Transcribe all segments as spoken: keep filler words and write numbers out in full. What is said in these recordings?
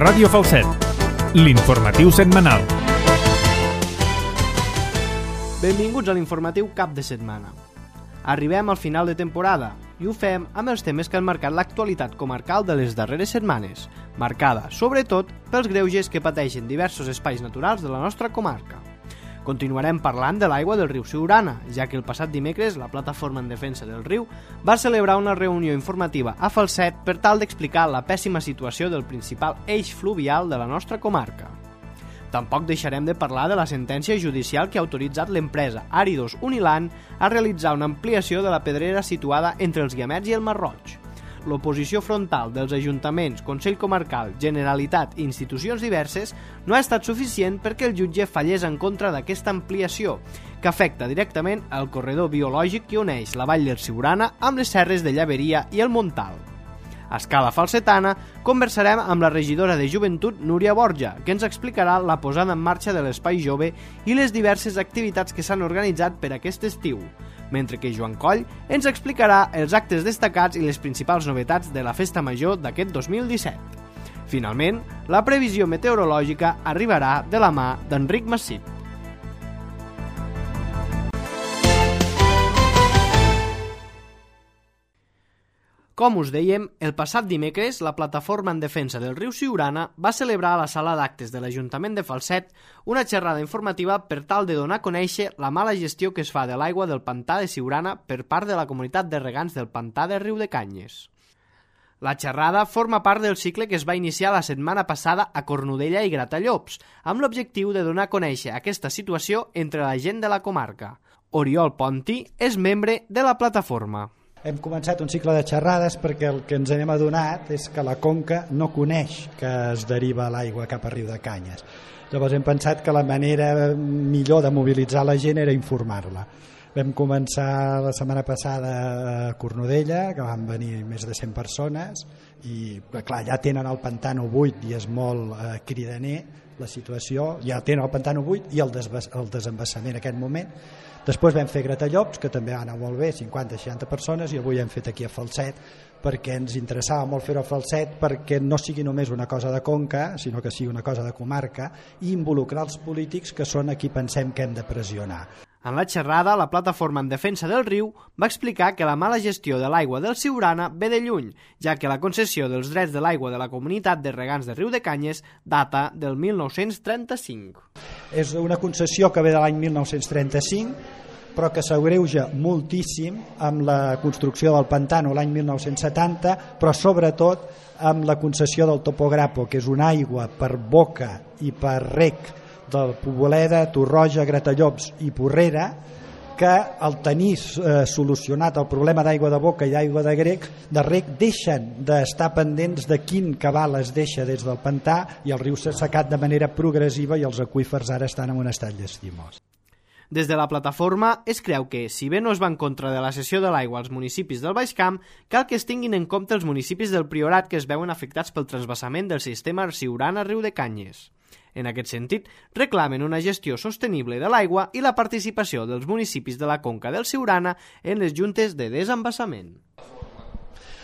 Ràdio Falset, l'informatiu setmanal. Benvinguts a l'informatiu cap de setmana. Arribem al final de temporada i ho fem amb els temes que han marcat l'actualitat comarcal de les darreres setmanes, marcada, sobretot, pels greuges que pateixen diversos espais naturals de la nostra comarca. Continuarem parlant de l'aigua del riu Siurana, ja que el passat dimecres la Plataforma en Defensa del Riu va celebrar una reunió informativa a Falset per tal d'explicar la pèssima situació del principal eix fluvial de la nostra comarca. Tampoc deixarem de parlar de la sentència judicial que ha autoritzat l'empresa Àridos Uniland a realitzar una ampliació de la pedrera situada entre els Guiamets i el Mar Roig. L'oposició frontal dels ajuntaments, Consell Comarcal, Generalitat i institucions diverses no ha estat suficient perquè el jutge fallés en contra d'aquesta ampliació, que afecta directament el corredor biològic que uneix la vall del Siurana amb les serres de Llaveria i el Montal. A escala falsetana, conversarem amb la regidora de Joventut, Núria Borja, que ens explicarà la posada en marxa de l'Espai Jove i les diverses activitats que s'han organitzat per aquest estiu, mentre que Joan Coll ens explicarà els actes destacats i les principals novetats de la Festa Major d'aquest dos mil disset. Finalment, la previsió meteorològica arribarà de la mà d'Enric Massip. Com us dèiem, el passat dimecres la Plataforma en Defensa del Riu Siurana va celebrar a la sala d'actes de l'Ajuntament de Falset una xerrada informativa per tal de donar a conèixer la mala gestió que es fa de l'aigua del pantà de Siurana per part de la comunitat de regants del pantà de Riudecanyes. La xerrada forma part del cicle que es va iniciar la setmana passada a Cornudella i Gratallops, amb l'objectiu de donar a conèixer aquesta situació entre la gent de la comarca. Oriol Ponti és membre de la plataforma. Hem començat un cicle de xerrades perquè el que ens hem adonat és que la conca no coneix que es deriva l'aigua cap a Riudecanyes. Llavors hem pensat que la manera millor de mobilitzar la gent era informar-la. Vam començar la setmana passada a Cornudella, que van venir més de cent persones, i clar, ja tenen el pantano buit i és molt eh, cridaner la situació, ja tenen el pantano buit i el, desbas, el desembassament en aquest moment. Després vam fer Gratallops, que també va anar molt bé, cinquanta seixanta persones, i avui hem fet aquí a Falset, perquè ens interessava molt fer-ho a Falset, perquè no sigui només una cosa de conca, sinó que sigui una cosa de comarca, i involucrar els polítics, que són a qui pensem que hem de pressionar. En la xerrada, la Plataforma en Defensa del Riu va explicar que la mala gestió de l'aigua del Siurana ve de lluny, ja que la concessió dels drets de l'aigua de la comunitat de regants de Riudecanyes data del mil nou-cents trenta-cinc. És una concessió que ve de l'any mil nou-cents trenta-cinc, però que s'agreuja moltíssim amb la construcció del pantano l'any mil nou-cents setanta, però sobretot amb la concessió del Topograpo, que és una aigua per boca i per rec del Poboleda, Torroja, Gratallops i Porrera, que al tenir eh, solucionat el problema d'aigua de boca i aigua de grec, de rec, deixen d'estar pendents de quin cabal es deixa des del pantà i el riu s'ha assecat de manera progressiva i els aqüífers ara estan en un estat llastimós. Des de la plataforma es creu que, si bé no es va en contra de la cessió de l'aigua als municipis del Baix Camp, cal que es tinguin en compte els municipis del Priorat que es veuen afectats pel transvassament del sistema Siurana-Riudecanyes. En aquest sentit, reclamen una gestió sostenible de l'aigua i la participació dels municipis de la conca del Siurana en les juntes de desembassament.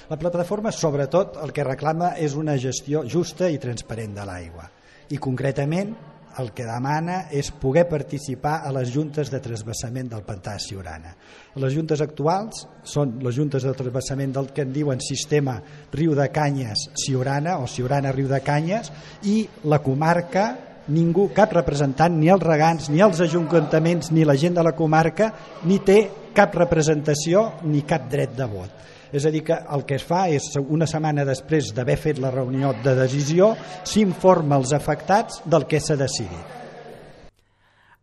La plataforma, sobretot, el que reclama és una gestió justa i transparent de l'aigua. I concretament, el que demana és poder participar a les juntes de transvassament del pantà de Siurana. Les juntes actuals són les juntes de transvassament del que en diuen sistema Riudecanyes-Siurana o Siurana-Riudecanyes, i la comarca, ningú, cap representant, ni els regants, ni els ajuntaments, ni la gent de la comarca, ni té cap representació ni cap dret de vot. És a dir, que el que es fa és, una setmana després d'haver fet la reunió de decisió, s'informa els afectats del que s'ha decidit.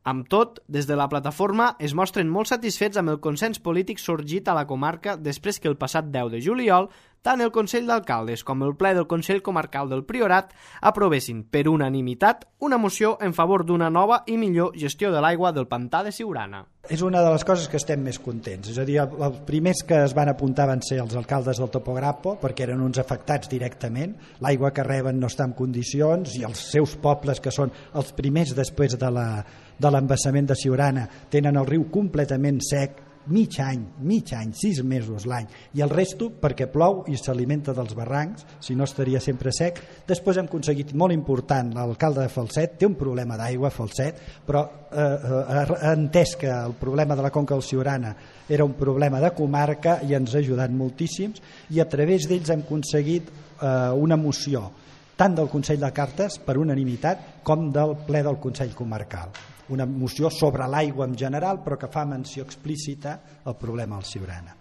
Amb tot, des de la plataforma es mostren molt satisfets amb el consens polític sorgit a la comarca després que el passat deu de juliol tant el Consell d'Alcaldes com el ple del Consell Comarcal del Priorat aprovessin per unanimitat una moció en favor d'una nova i millor gestió de l'aigua del pantà de Siurana. És una de les coses que estem més contents. És a dir, els primers que es van apuntar van ser els alcaldes del Topograpo, perquè eren uns afectats directament. L'aigua que reben no està en condicions i els seus pobles, que són els primers després de la, de l'embassament de Siurana, tenen el riu completament sec, mig any, mig any, sis mesos l'any, i el resto perquè plou i s'alimenta dels barrancs, si no estaria sempre sec. Després hem aconseguit, molt important, l'alcalde de Falset té un problema d'aigua, Falset, però eh, ha entès que el problema de la conca del Siurana era un problema de comarca i ens ha ajudat moltíssims, i a través d'ells hem aconseguit eh, una moció tant del Consell de Cartes per unanimitat com del ple del Consell Comarcal, una moció sobre l'aigua en general però que fa menció explícita al problema del Siurana.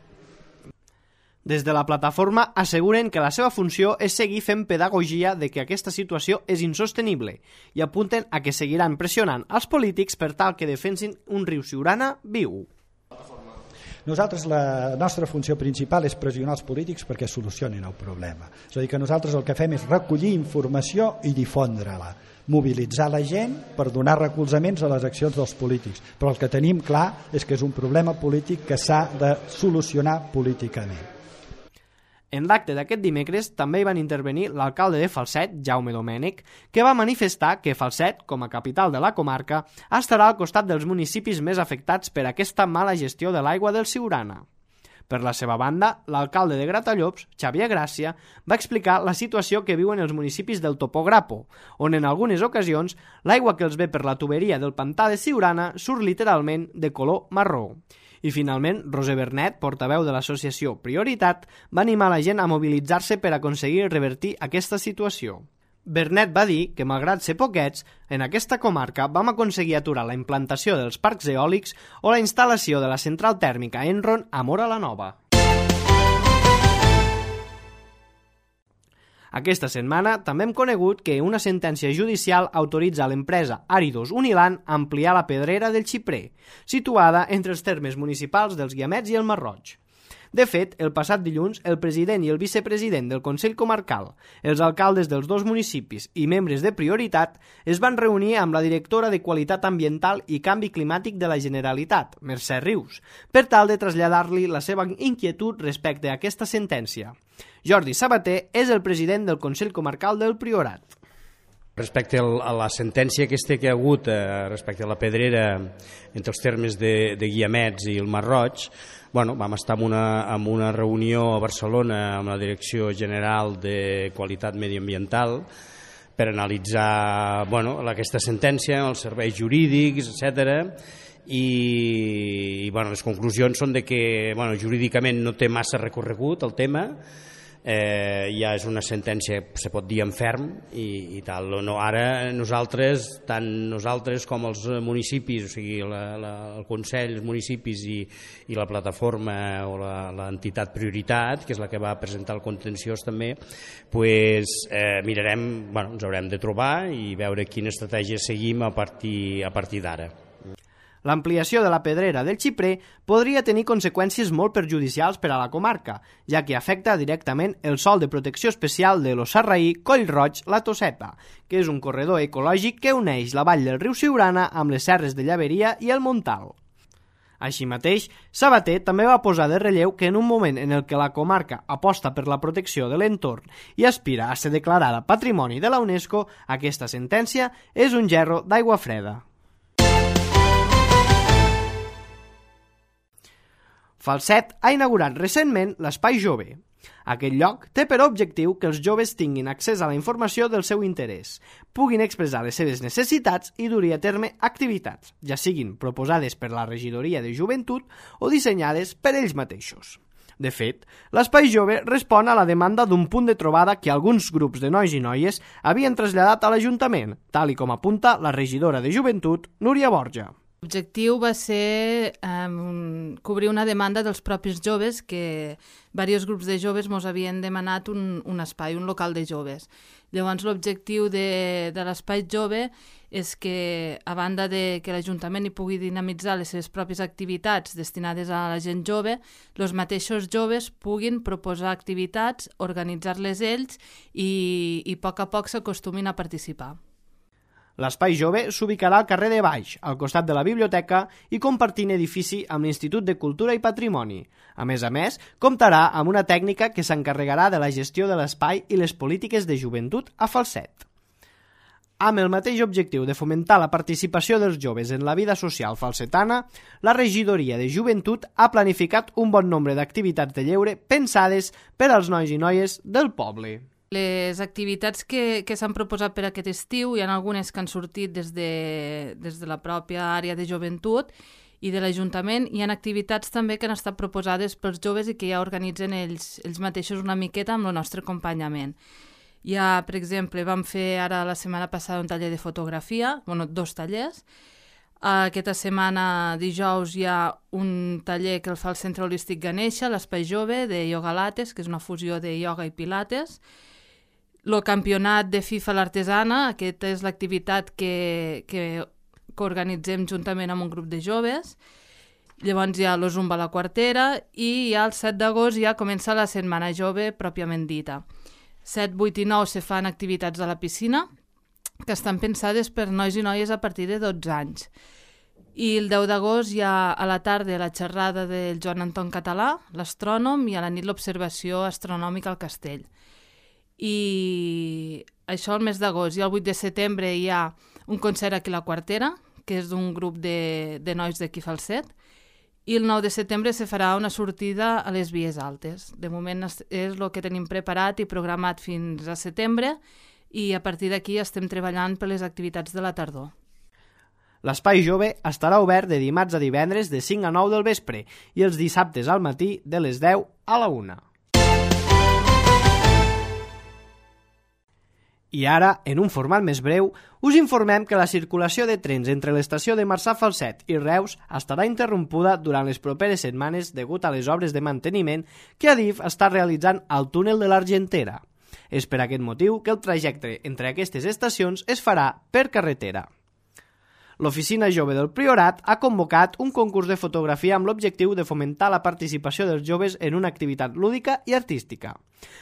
Des de la plataforma asseguren que la seva funció és seguir fent pedagogia de que aquesta situació és insostenible i apunten a que seguiran pressionant els polítics per tal que defensin un riu Siurana viu. Nosaltres, la nostra funció principal és pressionar els polítics perquè solucionin el problema. És a dir, que nosaltres el que fem és recollir informació i difondre-la, mobilitzar la gent per donar recolzaments a les accions dels polítics. Però el que tenim clar és que és un problema polític que s'ha de solucionar políticament. En l'acte d'aquest dimecres també hi van intervenir l'alcalde de Falset, Jaume Domènech, que va manifestar que Falset, com a capital de la comarca, estarà al costat dels municipis més afectats per aquesta mala gestió de l'aigua del Siurana. Per la seva banda, l'alcalde de Gratallops, Xavier Gràcia, va explicar la situació que viuen els municipis del Topograpo, on en algunes ocasions l'aigua que els ve per la tuberia del pantà de Siurana surt literalment de color marró. I finalment, Roser Bernet, portaveu de l'associació Prioritat, va animar la gent a mobilitzar-se per aconseguir revertir aquesta situació. Bernet va dir que, malgrat ser poquets, en aquesta comarca vam aconseguir aturar la implantació dels parcs eòlics o la instal·lació de la central tèrmica Enron a Móra la Nova. Aquesta setmana també hem conegut que una sentència judicial autoritza a l'empresa Áridos Uniland a ampliar la pedrera del Xiprer, situada entre els termes municipals dels Guiamets i el Masroig. De fet, el passat dilluns, el president i el vicepresident del Consell Comarcal, els alcaldes dels dos municipis i membres de Prioritat es van reunir amb la directora de Qualitat Ambiental i Canvi Climàtic de la Generalitat, Mercè Rius, per tal de traslladar-li la seva inquietud respecte a aquesta sentència. Jordi Sabater és el president del Consell Comarcal del Priorat. Respecte a la sentència aquesta que hi ha hagut eh, respecte a la pedrera entre els termes de, de Guiamets i el Masroig, bueno, vam estar en una, en una reunió a Barcelona amb la Direcció General de Qualitat Mediambiental per analitzar bueno, aquesta sentència, els serveis jurídics, etcètera. I, i bueno, les conclusions són de que bueno, jurídicament no té massa recorregut el tema, eh, ja és una sentència, se pot dir en ferm i, i tal. No, ara nosaltres, tant nosaltres com els municipis, o sigui la, la, el Consell, els municipis i, i la plataforma o l'entitat Prioritat, que és la que va presentar el contenciós també, pues, eh, mirarem, bueno, ens haurem de trobar i veure quina estratègia seguim a partir, a partir d'ara. L'ampliació de la pedrera del Xiprer podria tenir conseqüències molt perjudicials per a la comarca, ja que afecta directament el sòl de protecció especial de l'Ossarraí, Collroig-La Tosseta, que és un corredor ecològic que uneix la vall del riu Siurana amb les serres de Llaveria i el Montal. Així mateix, Sabater també va posar de relleu que en un moment en el que la comarca aposta per la protecció de l'entorn i aspira a ser declarada Patrimoni de la UNESCO, aquesta sentència és un gerro d'aigua freda. Falset ha inaugurat recentment l'Espai Jove. Aquest lloc té per objectiu que els joves tinguin accés a la informació del seu interès, puguin expressar les seves necessitats i dur a terme activitats, ja siguin proposades per la Regidoria de Joventut o dissenyades per ells mateixos. De fet, l'Espai Jove respon a la demanda d'un punt de trobada que alguns grups de nois i noies havien traslladat a l'Ajuntament, tal i com apunta la regidora de Joventut, Núria Borja. L'objectiu va ser um, cobrir una demanda dels propis joves que diversos grups de joves ens havien demanat un, un espai, un local de joves. Llavors l'objectiu de, de l'espai jove és que, a banda de que l'Ajuntament hi pugui dinamitzar les seves pròpies activitats destinades a la gent jove, els mateixos joves puguin proposar activitats, organitzar-les ells i, i a poc a poc s'acostumin a participar. L'Espai Jove s'ubicarà al carrer de Baix, al costat de la biblioteca i compartint edifici amb l'Institut de Cultura i Patrimoni. A més a més, comptarà amb una tècnica que s'encarregarà de la gestió de l'espai i les polítiques de joventut a Falset. Amb el mateix objectiu de fomentar la participació dels joves en la vida social falsetana, la Regidoria de Joventut ha planificat un bon nombre d'activitats de lleure pensades per als nois i noies del poble. Les activitats que, que s'han proposat per aquest estiu, hi ha algunes que han sortit des de, des de la pròpia àrea de joventut i de l'Ajuntament. Hi ha activitats també que han estat proposades pels joves i que ja organitzen ells, ells mateixos una miqueta amb el nostre acompanyament. Hi ha, per exemple, vam fer ara la setmana passada un taller de fotografia, bueno, dos tallers. Aquesta setmana, dijous, hi ha un taller que el fa el Centre Holístic Ganesha, l'Espai Jove, de Yoga Lattes, que és una fusió de ioga i pilates. El campionat de FIFA l'artesana, aquesta és l'activitat que, que, que organitzem juntament amb un grup de joves. Llavors hi ha el Zumba a la Quartera i ja el set d'agost ja comença la Setmana Jove pròpiament dita. set, vuit i nou se fan activitats a la piscina que estan pensades per nois i noies a partir de dotze anys. I el deu d'agost hi ha a la tarda la xerrada del Joan Anton Català, l'astrònom, i a la nit l'observació astronòmica al castell. I això el mes d'agost. I el vuit de setembre hi ha un concert aquí a la Quartera, que és d'un grup de, de nois d'aquí Falset, i el nou de setembre se farà una sortida a les Vies Altes. De moment és el que tenim preparat i programat fins a setembre i a partir d'aquí estem treballant per les activitats de la tardor. L'Espai Jove estarà obert de dimarts a divendres de cinc a nou del vespre i els dissabtes al matí de les deu a la una. I ara, en un format més breu, us informem que la circulació de trens entre l'estació de Marçà Falset i Reus estarà interrompuda durant les properes setmanes degut a les obres de manteniment que Adif està realitzant al túnel de l'Argentera. És per aquest motiu que el trajecte entre aquestes estacions es farà per carretera. L'Oficina Jove del Priorat ha convocat un concurs de fotografia amb l'objectiu de fomentar la participació dels joves en una activitat lúdica i artística.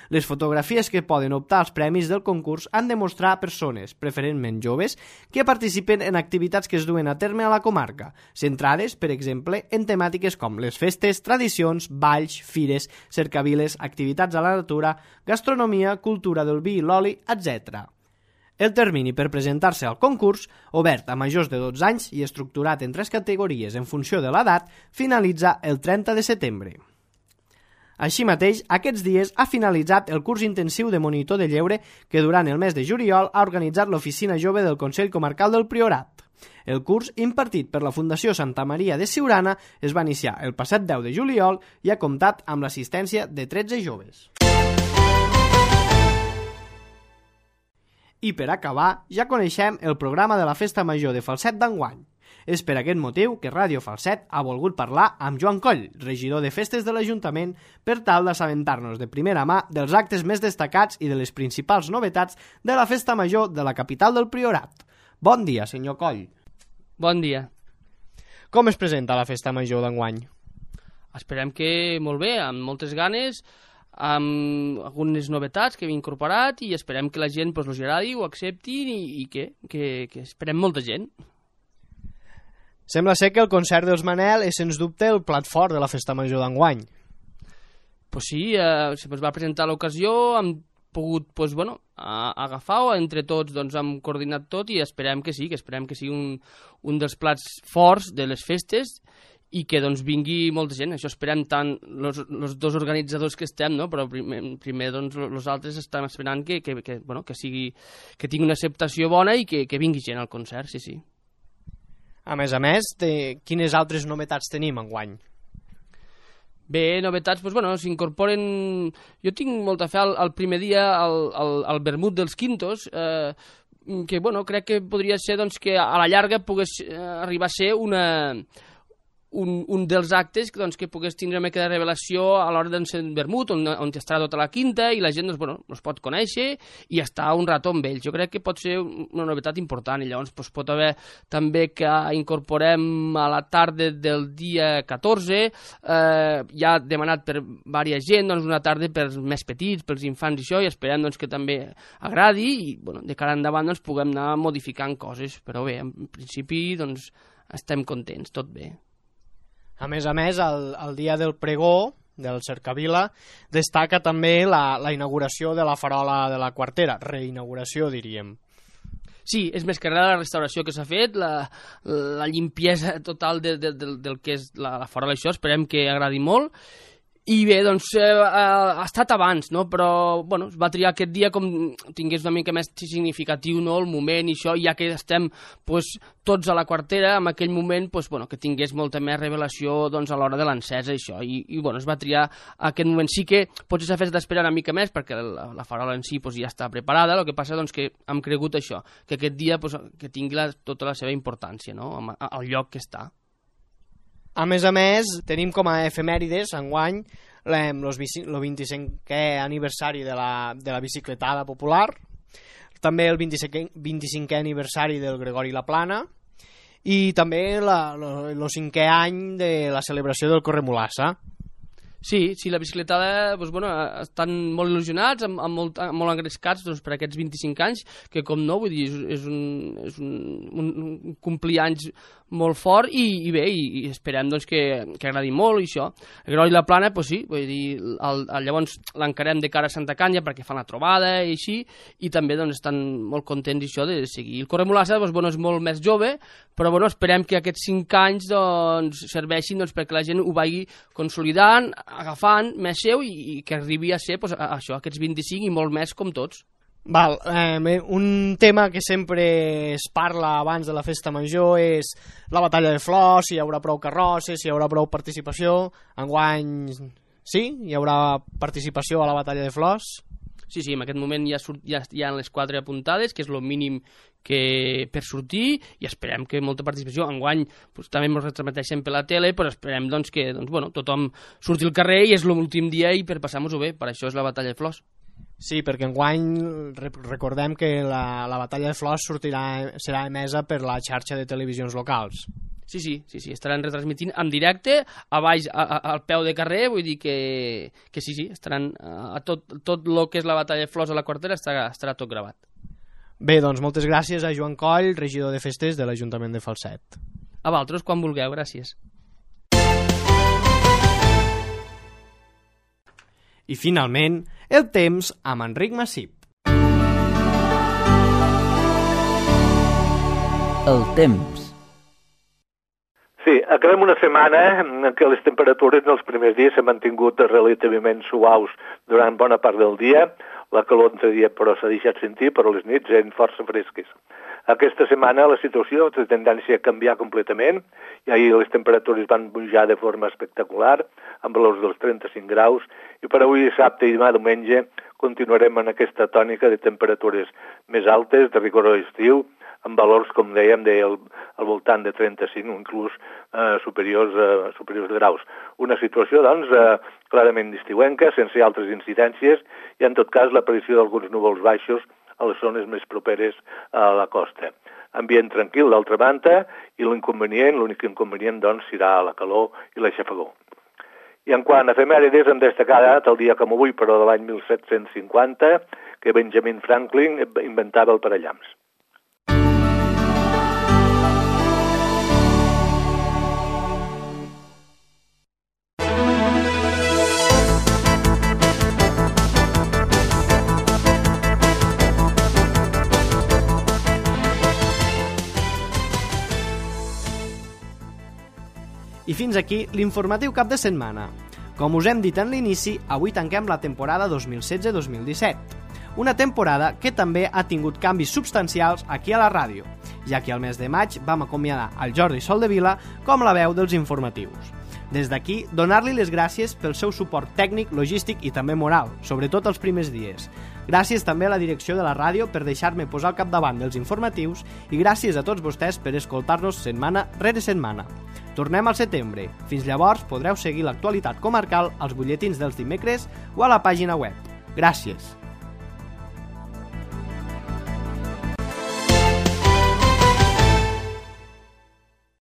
Les fotografies que poden optar als premis del concurs han de mostrar persones, preferentment joves, que participen en activitats que es duen a terme a la comarca, centrades, per exemple, en temàtiques com les festes, tradicions, balls, fires, cercaviles, activitats a la natura, gastronomia, cultura del vi i l'oli, etcètera. El termini per presentar-se al concurs, obert a majors de dotze anys i estructurat en tres categories en funció de l'edat, finalitza el trenta de setembre. Així mateix, aquests dies ha finalitzat el curs intensiu de monitor de lleure que durant el mes de juliol ha organitzat l'Oficina Jove del Consell Comarcal del Priorat. El curs, impartit per la Fundació Santa Maria de Siurana, es va iniciar el passat deu de juliol i ha comptat amb l'assistència de tretze joves. I per acabar, ja coneixem el programa de la Festa Major de Falset d'enguany. És per aquest motiu que Ràdio Falset ha volgut parlar amb Joan Coll, regidor de Festes de l'Ajuntament, per tal d'assabentar-nos de primera mà dels actes més destacats i de les principals novetats de la Festa Major de la capital del Priorat. Bon dia, senyor Coll. Bon dia. Com es presenta la Festa Major d'enguany? Esperem que molt bé, amb moltes ganes, amb algunes novetats que hem incorporat i esperem que la gent pues, els agradi, ho acceptin i, i que, que, que esperem molta gent. Sembla ser que el concert dels Manel és sens dubte el plat fort de la Festa Major d'enguany. Pues sí, eh, se ens va presentar l'ocasió, hem pogut pues, bueno, agafar-ho, entre tots doncs, hem coordinat tot i esperem que sí, que esperem que sigui un, un dels plats forts de les festes i que doncs, vingui molta gent. Això esperem tant els dos organitzadors que estem, no? Però primer, primer doncs, els altres estan esperant que, que, que, bueno, que, sigui, que tingui una acceptació bona i que, que vingui gent al concert, sí, sí. A més a més, de... quines altres novetats tenim enguany? Bé, novetats, doncs, bueno, s'incorporen... Jo tinc molta fe al, al primer dia al, al, al vermut dels Quintos, eh, que bueno, crec que podria ser doncs, que a la llarga pogués eh, arribar a ser una... Un, un dels actes doncs, que pogués tindre una mica de revelació a l'hora d'encendre el vermut, on, on estarà tota la quinta i la gent doncs, bueno, els pot conèixer i estar un rato amb ells. Jo crec que pot ser una novetat important i llavors doncs, pot haver també que incorporem a la tarda del dia catorze, eh, ja demanat per diversa gent, doncs, una tarda pels més petits, pels infants i això, i esperem doncs, que també agradi i bueno, de cara endavant doncs, puguem anar modificant coses, però bé, en principi doncs, estem contents, tot bé. A més a més, el, el dia del pregó, del Cercavila, destaca també la, la inauguració de la farola de la Quartera, reinauguració, diríem. Sí, és més que res la restauració que s'ha fet, la, la limpiesa total de, de, de, del que és la, la fora d'això, esperem que agradi molt. I bé, doncs, eh, ha estat abans, no? Però, bueno, es va triar aquest dia com tingués una mica més significatiu, no?, el moment i això, ja que estem, pues, tots a la quartera, en aquell moment, pues, bueno, que tingués molta més revelació, doncs, a l'hora de l'encesa i això, i, i, bueno, es va triar aquest moment. Sí que potser s'ha fet d'esperar una mica més, perquè la, la farola en si, pues, ja està preparada, el que passa, doncs, que hem cregut això, que aquest dia, pues, que tingui la, tota la seva importància, no?, al lloc que està. A més a més, tenim com a efemèrides, enguany, el vint-i-cinquè aniversari de la, de la bicicletada popular, també el vint-i-cinquè aniversari del Gregori Laplana i també el cinquè any de la celebració del Corremolassa. Sí, sí, la bicicletada, doncs, bueno, estan molt il·lusionats, amb, amb molt, molt engrescats, doncs, per aquests vint-i-cinc anys, que com no, vull dir, és un, és un, un, un complir anys molt fort i, i bé, i, i esperem doncs, que, que agradi molt i això. El Gregori Laplana, doncs sí, vull dir, el, el, llavors l'encarem de cara a Santa Canya perquè fan la trobada i així, i també doncs, estan molt contents això de seguir. El Corremolassa doncs, bueno, és molt més jove, però bueno, esperem que aquests cinc anys doncs, serveixin doncs, perquè la gent ho vagi consolidant, agafant més seu i, i que arribi a ser pues, a, a això, aquests vint-i-cinc i molt més com tots. Val, eh, un tema que sempre es parla abans de la festa major és la batalla de flors, si hi haurà prou carrosses, si hi haurà prou participació. Enguany, sí? Hi haurà participació a la batalla de flors? Sí, sí, en aquest moment ja, surt, ja hi ha les quatre apuntades, que és el mínim que per sortir, i esperem que molta participació. Enguany pues, també ens retransmeteixen per la tele, però esperem doncs, que doncs, bueno, tothom surti al carrer i és l'últim dia i per passar-nos-ho bé, per això és la batalla de flors. Sí, perquè enguany recordem que la, la batalla de flors sortirà, serà emesa per la xarxa de televisions locals. Sí, sí, sí, sí, estaran retransmitint en directe, a baix, a, a, al peu de carrer, vull dir que, que sí, sí, estaran a tot, tot el que és la batalla de flors a la quartera estarà, estarà tot gravat. Bé, doncs moltes gràcies a Joan Coll, regidor de festes de l'Ajuntament de Falset. A vosaltres, quan vulgueu, gràcies. I finalment, el temps amb Enric Massip. El temps. Sí, acabem una setmana en què les temperatures en els primers dies s'han mantingut relativament suaus durant bona part del dia. La calor entre dia però s'ha deixat sentir, però les nits eren força fresques. Aquesta setmana la situació té tendència a canviar completament i ahir les temperatures van pujar de forma espectacular, amb valors dels trenta-cinc graus, i per avui dissabte i demà diumenge continuarem en aquesta tònica de temperatures més altes, de rigor estiu, amb valors, com dèiem, de, al, al voltant de trenta-cinc o inclús eh, superiors, eh, superiors de graus. Una situació, doncs, eh, clarament estiuenca, sense altres incidències, i en tot cas l'aparició d'alguns núvols baixos a les zones més properes a la costa. Ambient tranquil, d'altra banda, i l'inconvenient, l'únic inconvenient, doncs, serà la calor i l'aixafagó. I en quant a efemèrides, hem destacat el dia com avui, però de l'any mil set-cents cinquanta, que Benjamin Franklin inventava el parallamps. I fins aquí l'informatiu cap de setmana. Com us hem dit en l'inici, avui tanquem la temporada dos mil setze dos mil disset. Una temporada que també ha tingut canvis substancials aquí a la ràdio, ja que al mes de maig vam acomiadar el Jordi Soldevila com la veu dels informatius. Des d'aquí, donar-li les gràcies pel seu suport tècnic, logístic i també moral, sobretot els primers dies. Gràcies també a la direcció de la ràdio per deixar-me posar al capdavant dels informatius i gràcies a tots vostès per escoltar-nos setmana rere setmana. Tornem al setembre. Fins llavors podreu seguir l'actualitat comarcal als butlletins dels dimecres o a la pàgina web. Gràcies.